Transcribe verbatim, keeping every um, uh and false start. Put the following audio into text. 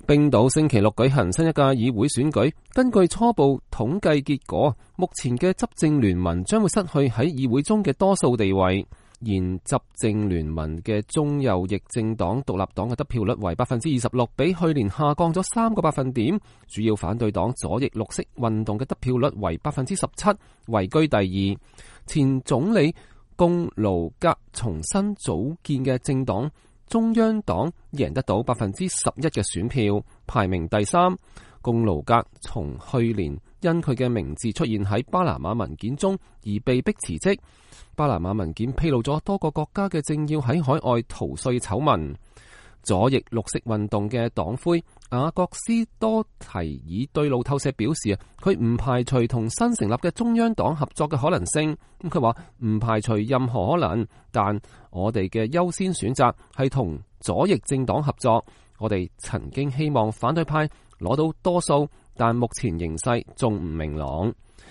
冰島星期六舉行新一屆議會選舉，根據初步統計結果，目前嘅執政聯盟將會失去喺議會中嘅多數地位。現執政聯盟嘅中右翼政黨獨立黨嘅得票率為百分之二十六，比去年下降咗三個百分點。主要反對黨左翼綠色運動嘅得票率為百分之十七，位居第二。前總理貢盧格重新組建嘅政黨中央黨贏得到百分之十一嘅選票，排名第三。貢盧格從去年因佢嘅名字出現喺巴拿馬文件中而被迫辭職。巴拿馬文件披露咗多個國家嘅政要喺海外逃稅醜聞。左翼綠色運動嘅黨魁雅各斯多提爾對路透社表示啊，佢唔排除同新成立嘅中央黨合作嘅可能性。咁佢話唔排除任何可能，但我哋嘅優先選擇係同左翼政黨合作。我哋曾經希望反對派攞到多數，但目前形勢仲唔明朗。